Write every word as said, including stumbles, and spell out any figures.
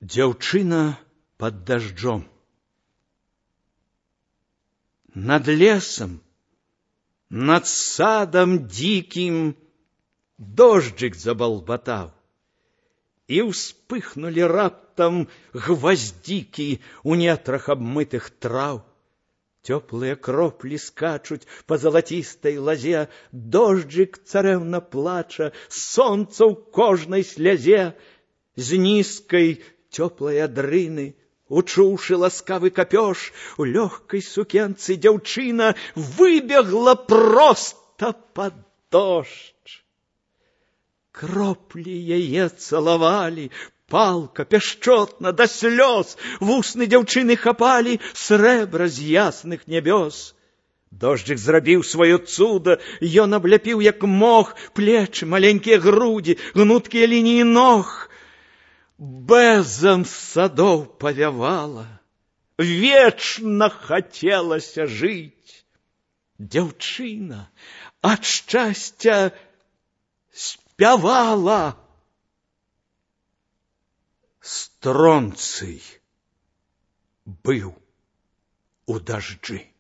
Дзяўчына под дождем. Над лесом, над садом диким дождик заболбатал, и вспыхнули раптом гвоздики у нетрах обмытых трав. Теплые кропли скачуть по золотистой лозе, дождик царевна плача, солнце у кожной слезе. З низкой теплой адрыны, учуўшы ласкавы капёж, у легкой сукенцы дзяўчына выбегла просто под дождь. Кропли яе целовали, палка пяшчотна до слез, вусны дзяўчыны хапали срэбра з ясных нябёс. Дождик зрабіў сваё цуда, ён абляпіў як мог плечы, маленькія грудзі, гнуткія лініі ног. Бэзам садоў павявала, вечна хацелася жыць. Дзяўчына ад шчасця спявала. Стронцый быў у дажджы.